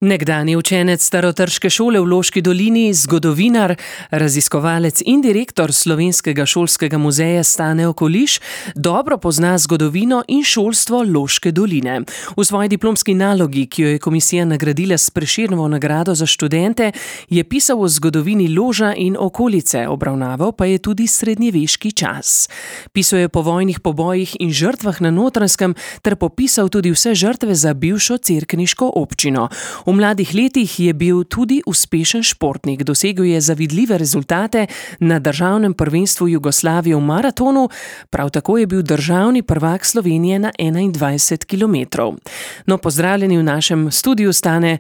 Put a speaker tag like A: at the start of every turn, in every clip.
A: Nekdanji učenec Starotrške šole v Loški dolini, zgodovinar, raziskovalec in direktor Slovenskega šolskega muzeja Stane Okoliš dobro pozna zgodovino in šolstvo Loške doline. V svoji diplomski nalogi, ki jo je komisija nagradila s Prešernovo nagrado za študente, je pisal o zgodovini Loža in okolice, obravnaval pa je tudi srednjeveški čas. Pisal je o povojnih pobojih in žrtvah na Notranjskem ter popisal tudi vse žrtve za bivšo cerkniško občino. V mladih letih je bil tudi uspešen športnik, dosegel je zavidljive rezultate na državnem prvenstvu Jugoslavije v maratonu, prav tako je bil državni prvak Slovenije na 21 kilometrov. No, pozdravljeni v našem studiu, Stane,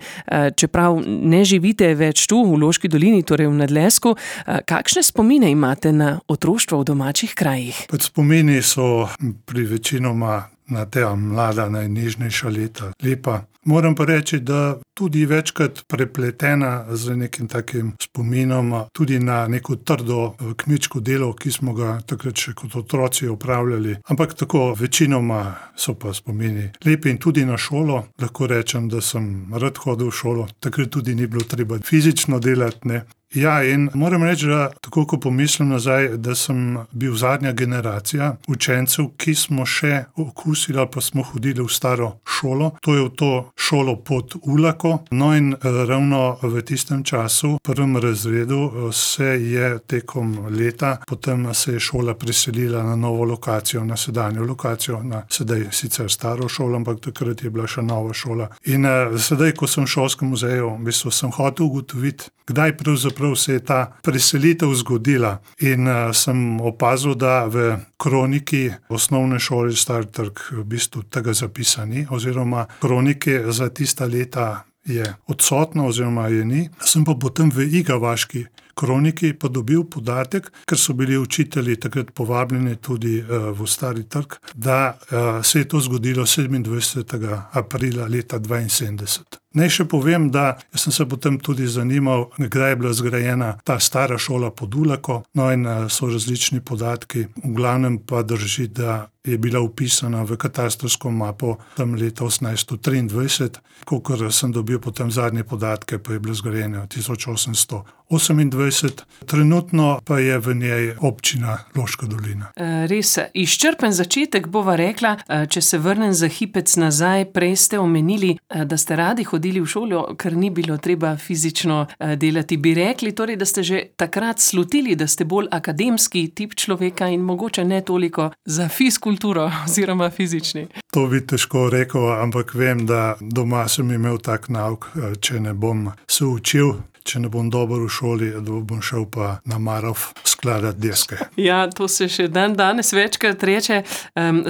A: čeprav ne živite več tu v Loški dolini, torej v Nadlesku, kakšne spomine imate na otroštvo v domačih krajih?
B: Spomini so pri večinoma na ta mlada, najnežnejša leta lepa. Moram pa reči, da tudi večkrat prepletena z nekim takim spominom, tudi na neko trdo kmečko delo, ki smo ga takrat še kot otroci opravljali. Ampak tako večinoma so pa spomini lepi in tudi na šolo. Lahko rečem, da sem rad hodil v šolo, takrat tudi ni bilo treba fizično delati, ne. Ja, in moram reči, da tako ko pomislim nazaj, da sem bil zadnja generacija učencev, ki smo še okusili ali pa smo hodili v staro šolo. To je v to šolo pod Ulako. No in ravno v tistem času, v prvem razredu, se je tekom leta, potem se je šola preselila na novo lokacijo, na sedanjo lokacijo, na sedaj sicer staro šolo, ampak takrat je bila še nova šola. In sedaj, ko sem v šolskem muzeju, v bistvu sem hotel ugotoviti, kdaj pravzaprav se je ta preselitev zgodila. In sem opazil, da v kroniki osnovne šole Stari Trg v bistvu tega zapisani, oziroma kronike za tista leta je odsotno oziroma je ni. Sem pa potem v Igavaški kroniki pa dobil podatek, ker so bili učitelji takrat povabljeni tudi v Stari Trg, da se je to zgodilo 27. aprila leta 1972. Naj še povem, da sem se potem tudi zanimal, kdaj je bila zgrajena ta stara šola pod Ulako, no in so različni podatki. V glavnem pa drži, da je bila vpisana v katastrsko mapo tam leta 1823, kakor sem dobil potem zadnje podatke, pa je bila zgrajena 1828. Trenutno pa je v njej občina Loška dolina.
A: Res, izčrpen začetek bova rekla, če se vrnem za hipec nazaj, prej ste omenili, da ste radi hodili v šolo, ker ni bilo treba fizično delati. Bi rekli torej, da ste že takrat slutili, da ste bolj akademski tip človeka in mogoče ne toliko za fizkulturo oziroma fizični?
B: To bi težko rekel, ampak vem, da doma sem imel tak nauk, če ne bom se učil, če ne bom dober v šoli, da bom šel pa na Marov skladati deske.
A: Ja, to se še danes večkrat reče.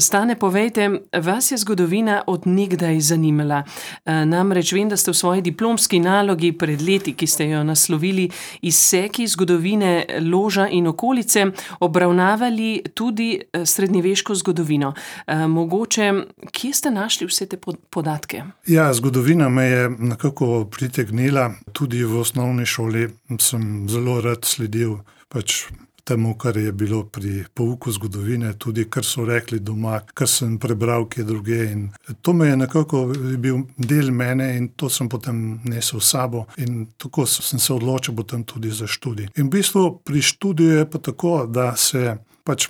A: Stane, povejte, vas je zgodovina od nekdaj zanimala. Namreč vem, da ste v svoji diplomski nalogi pred leti, ki ste jo naslovili Izseki zgodovine Loža in okolice, obravnavali tudi srednjeveško zgodovino. Mogoče, kje ste našli vse te podatke?
B: Ja, zgodovina me je nekako pritegnila. Tudi v osnovni šoli sem zelo rad sledil temu, kar je bilo pri pouku zgodovine, tudi kar so rekli doma, kar sem prebral kje druge. In to me je nekako bil del mene in to sem potem nesel s sabo in tako sem se odločil potem tudi za študij. In v bistvu pri študiju je pa tako, da se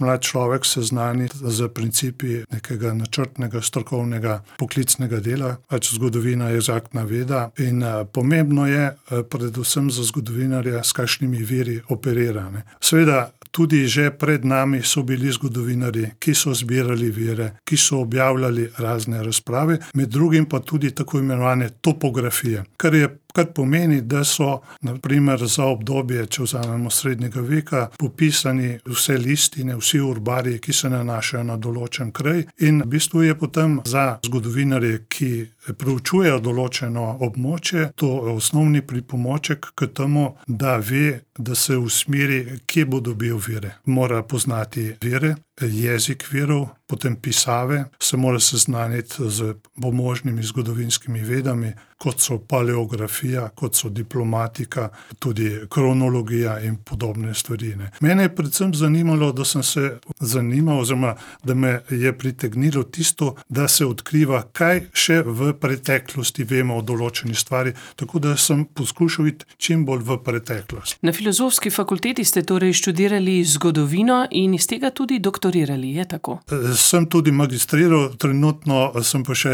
B: mlad človek seznani z principi nekega načrtnega, strokovnega, poklicnega dela. Zgodovina je egzaktna veda in pomembno je predvsem za zgodovinarja, s kakšnimi viri operira. Seveda, tudi že pred nami so bili zgodovinarji, ki so zbirali vire, ki so objavljali razne razprave, med drugim pa tudi tako imenovane topografije, kar pomeni, da so, na primer, za obdobje, če vzamemo srednjega veka, popisani vse listine, vsi urbarji, ki se nanašajo na določen kraj in v bistvu je potem za zgodovinarje, ki preučujejo določeno območje, to osnovni pripomoček k temu, da ve, da se usmeri, kje bo dobil vire. Mora poznati vire jezik virov, potem pisave, se mora seznaniti z pomožnimi zgodovinskimi vedami, kot so paleografija, kot so diplomatika, tudi kronologija in podobne stvari. Mene je predvsem zanimalo, da sem se zanimal, oziroma da me je pritegnilo tisto, da se odkriva, kaj še v preteklosti vemo o določeni stvari, tako da sem poskušal iti čim bolj v preteklost.
A: Na Filozofski fakulteti ste torej študirali zgodovino in iz tega tudi doktorirali, je tako?
B: Sem tudi magistriral, trenutno sem pa še,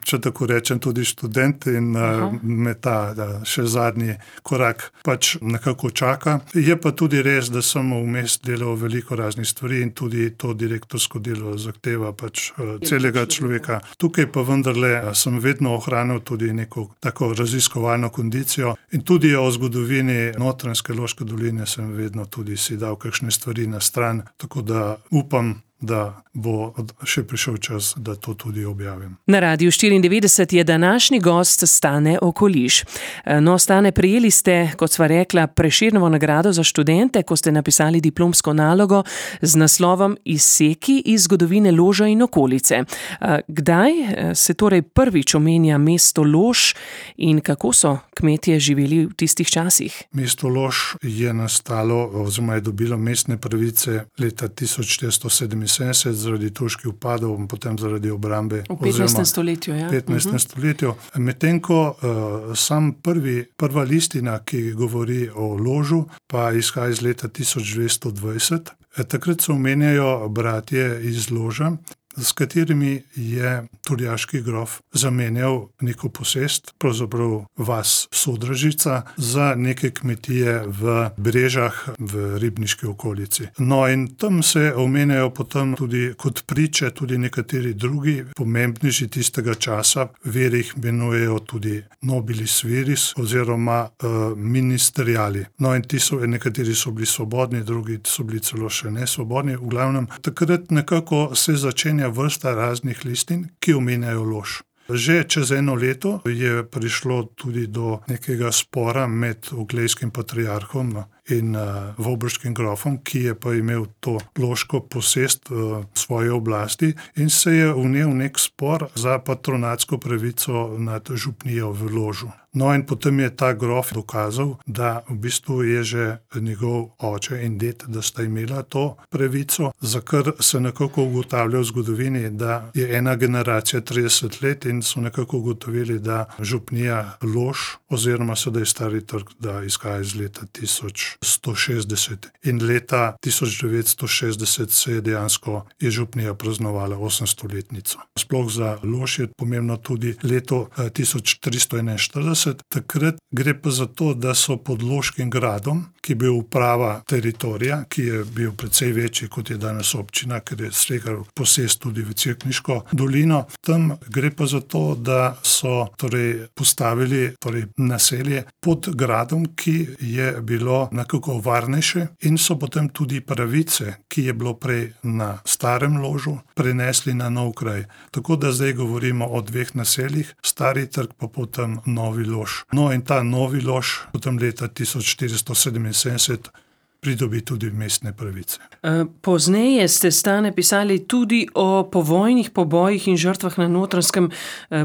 B: če tako rečem, tudi študent in me ta še zadnji korak pač nekako čaka. Je pa tudi res, da sem vmes delal veliko raznih stvari in tudi to direktorsko delo zahteva pač celega človeka. Tukaj pa vendarle sem vedno ohranil tudi neko tako raziskovalno kondicijo in tudi o zgodovini Notranjske Loške doline sem vedno tudi si dal kakšne stvari na stran, tako da upam, da bo še prišel čas, da to tudi objavim.
A: Na Radiu 94 je današnji gost Stane Okoliš. No, Stane, prejeli ste, kot sva rekla, Prešernovo nagrado za študente, ko ste napisali diplomsko nalogo z naslovom Izseki iz zgodovine Loža in okolice. Kdaj se torej prvič omenja mesto Lož in kako so kmetje živeli v tistih časih?
B: Mesto Lož je nastalo, oziroma je dobilo mestne pravice leta 1477 zaradi turških vpadov in potem zaradi obrambe.
A: V 15. stoletju, ja.
B: 15. stoletju. Medtem ko prva listina, ki govori o Ložu, pa izhaja iz leta 1220. Takrat se omenjajo bratje iz Loža, s katerimi je turjaški grof zamenjal neko posest, pravzaprav vas Sodražica, za neke kmetije v Brežah v ribniški okolici. No in tam se omenjajo potem tudi kot priče tudi nekateri drugi pomembneži tistega časa, viri jih imenujejo tudi nobilis viris oziroma ministeriali. No in nekateri so bili svobodni, drugi so bili celo še nesvobodni. V glavnem, takrat nekako se začenja vrsta raznih listin, ki omenjajo Lož. Že čez eno leto je prišlo tudi do nekega spora med oglejskim patriarhom in vobrškim grofom, ki je pa imel to loško posest v svoji oblasti in se je vnel nek spor za patronatsko pravico nad župnijo v Ložu. No in potem je ta grof dokazal, da v bistvu je že njegov oče in ded, da sta imela to pravico, za kar se nekako ugotavlja v zgodovini, da je ena generacija 30 let in so nekako ugotovili, da župnija Lož oziroma sedaj Stari Trg, da izhaja iz leta 1160 in leta 1960 se je dejansko župnija praznovala 800-letnico. Sploh za Lož je pomembno tudi leto 1341. Takrat gre pa za to, da so pod Loškim gradom, ki je bil uprava teritorija, ki je bil precej večji, kot je danes občina, ker je segal posest tudi v Cerkniško dolino. Tam gre pa za to, da so postavili naselje pod gradom, ki je bilo nekako varnejše in so potem tudi pravice, ki je bilo prej na starem Ložu, prenesli na nov kraj. Tako da zdaj govorimo o dveh naseljih, Stari Trg pa potem Novi Lož. No in ta Novi Lož potem leta 1477 pridobi tudi mestne pravice.
A: Pozneje ste, Stane, pisali tudi o povojnih pobojih in žrtvah na Notranjskem.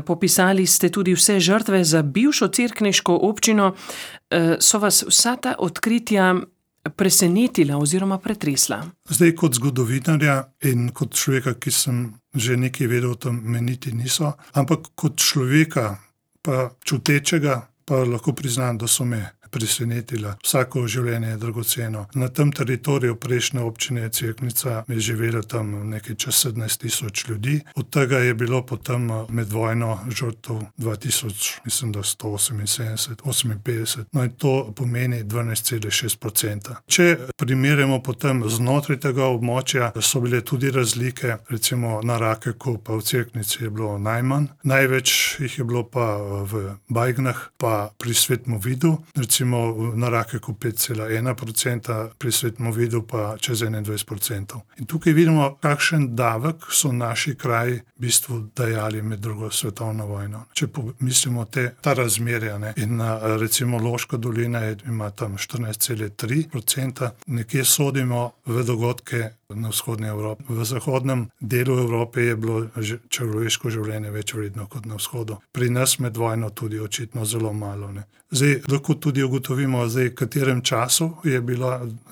A: Popisali ste tudi vse žrtve za bivšo cerkniško občino. So vas vsa ta odkritja presenetila oziroma pretresla?
B: Zdaj kot zgodovinarja in kot človeka, ki sem že nekaj vedel o tem, me niti niso, ampak kot človeka, pa čutečega, pa lahko priznam, da so me presenetila. Vsako življenje je dragoceno. Na tem teritoriju prejšnje občine Cerknica je živelo tam nekaj čez 17,000 ljudi. Od tega je bilo potem med vojno žrtev 2000, mislim, da 178, no in to pomeni 12,6%. Če primerjamo potem znotraj tega območja, so bile tudi razlike, recimo na Rakeku pa v Cerknici je bilo najmanj. Največ jih je bilo pa v Bajgnah, pa pri Svetmovidu, recimo na Rakeku 5,1%, pri Svetmovidu pa čez 21%. In tukaj vidimo, kakšen davek so naši kraji v bistvu dajali med drugo svetovno vojno. Če pomislimo ta razmerja, in recimo Loška dolina ima tam 14,3%, nekje sodimo v dogodke na vzhodni Evropi. V zahodnem delu Evrope je bilo človeško življenje več vredno kot na vzhodu. Pri nas med vojno tudi očitno zelo malo. Zdaj, lahko tudi ugotovimo, v katerem času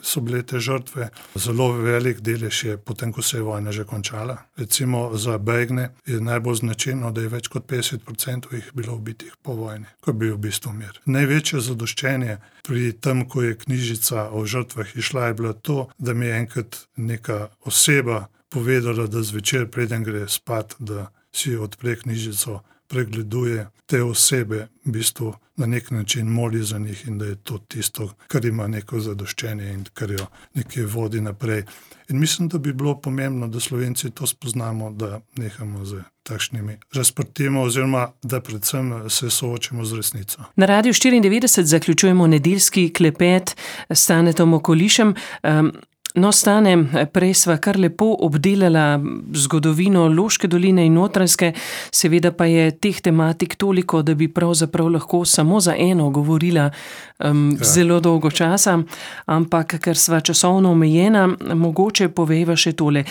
B: so bile te žrtve. Zelo velik delež je potem, ko se je vojna že končala. Recimo za Belgne je najbolj značilno, da je več kot 50% jih bilo ubitih po vojni, ko je bil v bistvu mir. Največje zadoščenje pri tem, ko je knjižica o žrtvah išla, je bilo to, da mi je enkrat neka oseba povedala, da zvečer, preden gre spat, da si odpre knjižico, pregleduje te osebe, v bistvu na nek način moli za njih in da je to tisto, kar ima neko zadoščenje in kar jo nekje vodi naprej. In mislim, da bi bilo pomembno, da Slovenci to spoznamo, da nehamo z takšnimi razprtimi oziroma da predvsem se soočimo z resnico.
A: Na Radiu 94 zaključujemo nedeljski klepet s Stanetom Okolišem. No, Stane, prej sva kar lepo obdelala zgodovino Loške doline in Notranjske, seveda pa je teh tematik toliko, da bi pravzaprav lahko samo za eno govorila zelo dolgo časa, ampak ker sva časovno omejena, mogoče povejva še tole.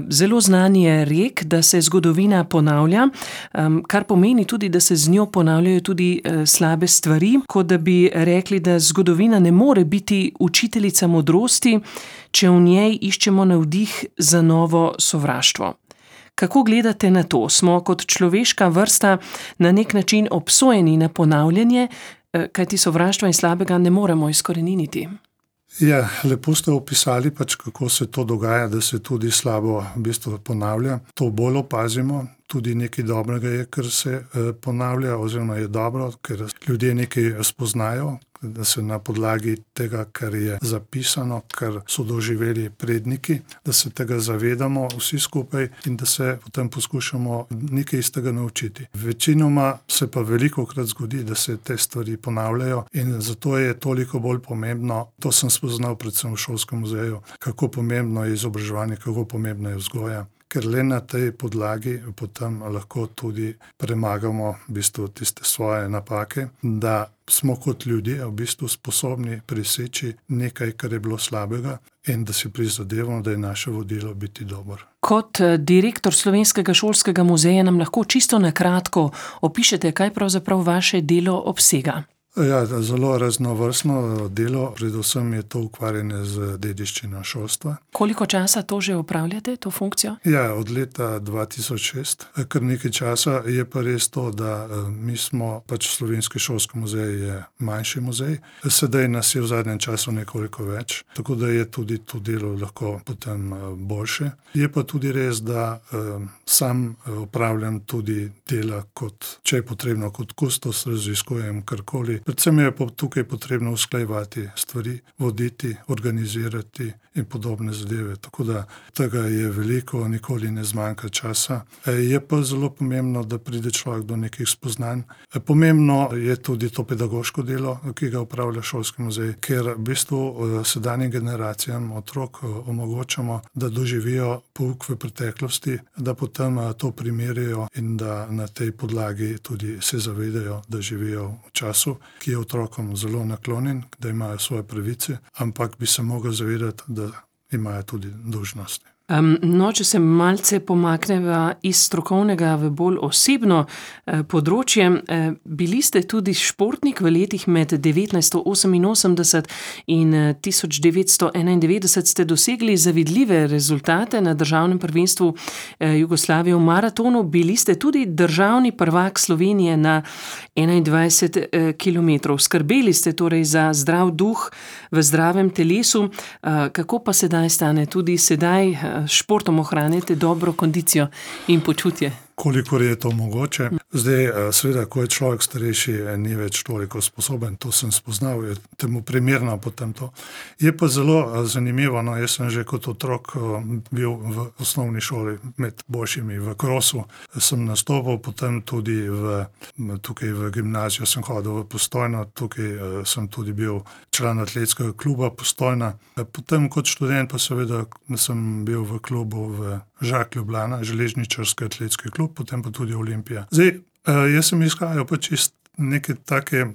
A: Zelo znan je rek, da se zgodovina ponavlja, kar pomeni tudi, da se z njo ponavljajo tudi slabe stvari, kot da bi rekli, da zgodovina ne more biti učiteljica modrosti, če v njej iščemo navdih za novo sovraštvo. Kako gledate na to? Smo kot človeška vrsta na nek način obsojeni na ponavljanje, kajti sovraštva in slabega ne moremo izkoreniniti?
B: Ja, lepo ste opisali kako se to dogaja, da se tudi slabo v bistvu ponavlja. To bolj opazimo, tudi nekaj dobrega je, ker se ponavlja, oziroma je dobro, ker ljudje nekaj spoznajo, da se na podlagi tega, kar je zapisano, kar so doživeli predniki, da se tega zavedamo vsi skupaj in da se potem poskušamo nekaj iz tega naučiti. Večinoma se pa velikokrat zgodi, da se te stvari ponavljajo in zato je toliko bolj pomembno, to sem spoznal predvsem v šolskem muzeju, kako pomembno je izobraževanje, kako pomembno je vzgoja. Ker le na tej podlagi potem lahko tudi premagamo v bistvu tiste svoje napake, da smo kot ljudje v bistvu sposobni preseči nekaj, kar je bilo slabega in da si prizadevamo, da je naše vodilo biti dobro.
A: Kot direktor Slovenskega šolskega muzeja nam lahko čisto na kratko opišete, kaj pravzaprav vaše delo obsega.
B: Ja, zelo raznovrstno delo, predvsem je to ukvarjanje z dediščino šolstva.
A: Koliko časa to že opravljate, to funkcijo?
B: Ja, od leta 2006, kar nekaj časa. Je pa res to, da mi smo, Slovenski šolski muzej je manjši muzej, sedaj nas je v zadnjem času nekoliko več, tako da je tudi to delo lahko potem boljše. Je pa tudi res, da sam opravljam tudi dela kot, če je potrebno, kot kustos, raziskujem karkoli. Predvsem je tukaj potrebno usklajevati stvari, voditi, organizirati in podobne zadeve. Tako da tega je veliko, nikoli ne zmanjka časa. Je pa zelo pomembno, da pride človek do nekih spoznanj. Pomembno je tudi to pedagoško delo, ki ga opravlja šolski muzej, ker v bistvu sedanjim generacijam otrok omogočamo, da doživijo pouk v preteklosti, da potem to primerijo in da na tej podlagi tudi se zavedajo, da živijo v času, ki je otrokom zelo naklonjen, da imajo svoje pravice, ampak bi se mogli zavedati, da imajo tudi dolžnosti.
A: No, če se malce pomakneva iz strokovnega v bolj osebno področje, bili ste tudi športnik v letih med 1988 in 1991 ste dosegli zavidljive rezultate na državnem prvenstvu Jugoslavije v maratonu. Bili ste tudi državni prvak Slovenije na 21 kilometrov. Skrbeli ste torej za zdrav duh v zdravem telesu. Kako pa sedaj Stane? Tudi sedaj športom ohranjate dobro kondicijo in počutje?
B: Kolikor je to mogoče. Zdaj, seveda, ko je človek starejši, ni več toliko sposoben, to sem spoznal, je temu primerno potem to. Je pa zelo zanimivo, jaz sem že kot otrok bil v osnovni šoli med boljšimi v krosu, sem nastopil, potem tudi tukaj v gimnazijo sem hodil v Postojno, tukaj sem tudi bil član atletskega kluba Postojna. Potem kot študent pa seveda sem bil v klubu v Žak Ljubljana, železničarski atletski klub, potem pa tudi Olimpija. Zdaj, jaz sem iskal čist neke take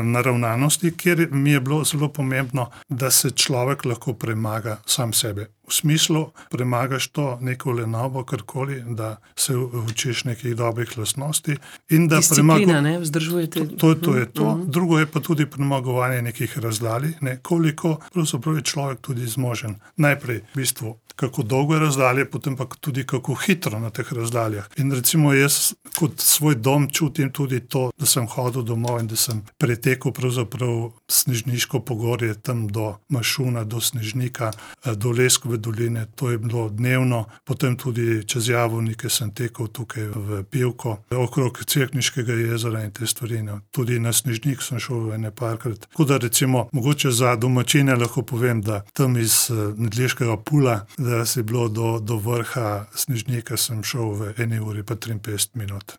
B: naravnanosti, kjer mi je bilo zelo pomembno, da se človek lahko premaga sam sebe. v smislu premagaš to neko lenobo, karkoli, da se učiš nekih dobrih lastnosti.
A: Disciplina, ne, vzdržujete.
B: To je to. Drugo je pa tudi premagovanje nekih razdalj, koliko pravzaprav je človek tudi zmožen. Najprej v bistvu, kako dolgo je razdalje, potem pa tudi kako hitro na teh razdaljah. In recimo jaz kot svoj dom čutim tudi to, da sem hodil domov in da sem pretekel pravzaprav Snežniško pogorje, tam do Mašuna, do Snežnika, do Leskove doline, to je bilo dnevno, potem tudi čez Javornike sem tekel tukaj v Pivko, okrog Cerkniškega jezera in te stvari. Tudi na Snežnik sem šel ene parkrat. Tako da recimo, mogoče za domačine lahko povem, da tam iz Nedleškega Pula, da si bilo do vrha Snežnika, sem šel v 1 uri pa 53 minut.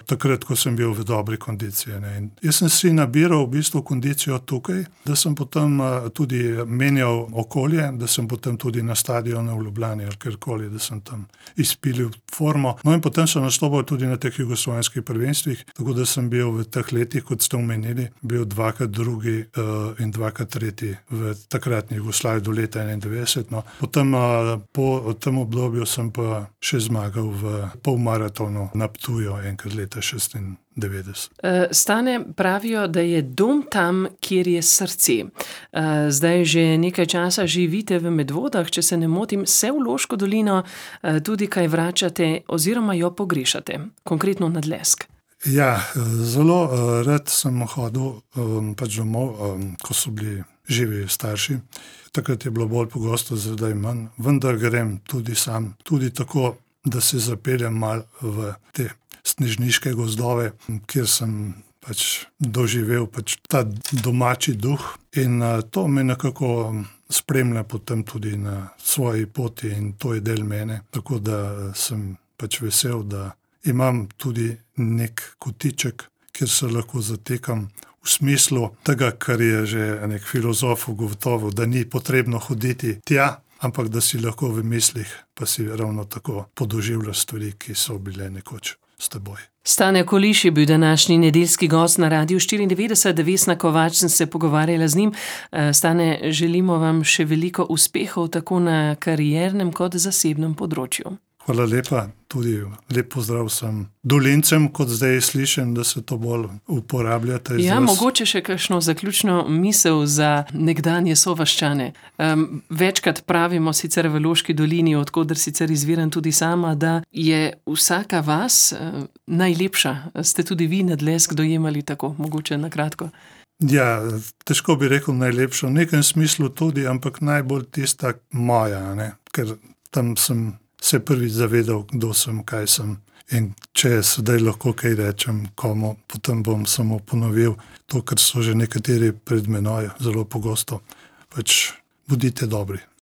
B: Takrat, ko sem bil v dobri kondiciji. In jaz sem si nabiral v bistvu kondicijo tukaj, da sem potem tudi menjal okolje, da sem potem tudi na stadionu v Ljubljani ali kjerkoli, da sem tam izpilil formo. No in potem sem nastopal tudi na teh jugoslovanskih prvenstvih, tako da sem bil v teh letih, kot ste omenili, bil 2-krat drugi in 2-krat tretji v takratni Jugoslaviji do leta 91. No. Potem po tem obdobju sem pa še zmagal v polmaratonu na Ptuju enkrat leta 96.
A: Stane, pravijo, da je dom tam, kjer je srce. Zdaj že nekaj časa živite v Medvodah, če se ne motim, se v Loško dolino tudi kaj vračate oziroma jo pogrešate, konkretno na Dlesk.
B: Ja, zelo rad sem hodil pač domov, ko so bili živi starši. Takrat je bilo bolj pogosto, zdaj manj, vendar grem tudi sam, tudi tako, da se zapeljem mal v te snežniške gozdove, kjer sem pač doživel pač ta domači duh in to me nekako spremlja potem tudi na svoji poti in to je del mene, tako da sem pač vesel, da imam tudi nek kotiček, kjer se lahko zatekam v smislu tega, kar je že nek filozof ugotovil, da ni potrebno hoditi tja, ampak da si lahko v mislih pa si ravno tako podoživljaš stvari, ki so bile nekoč s teboj.
A: Stane Koliš je bil današnji nedeljski gost na Radiu 94, Vesna Kovač sem se pogovarjala z njim. Stane, želimo vam še veliko uspehov tako na kariernem kot zasebnem področju.
B: Hvala lepa, tudi lep pozdrav vsem Dolincem, kot zdaj slišim, da se to bolj uporablja.
A: Ja, mogoče še kakšno zaključno misel za nekdanje sovaščane. Večkrat pravimo sicer v Loški dolini, od koder sicer izviram tudi sama, da je vsaka vas najlepša. Ste tudi vi na Dlesk dojemali tako, mogoče na kratko?
B: Ja, težko bi rekel najlepša, v nekem smislu tudi, ampak najbolj tista moja, ne? Ker tam sem se prvič zavedal, kdo sem, kaj sem. In če sedaj lahko kaj rečem komu, potem bom samo ponovil to, kar so že nekateri pred menoj zelo pogosto. Pač bodite dobri.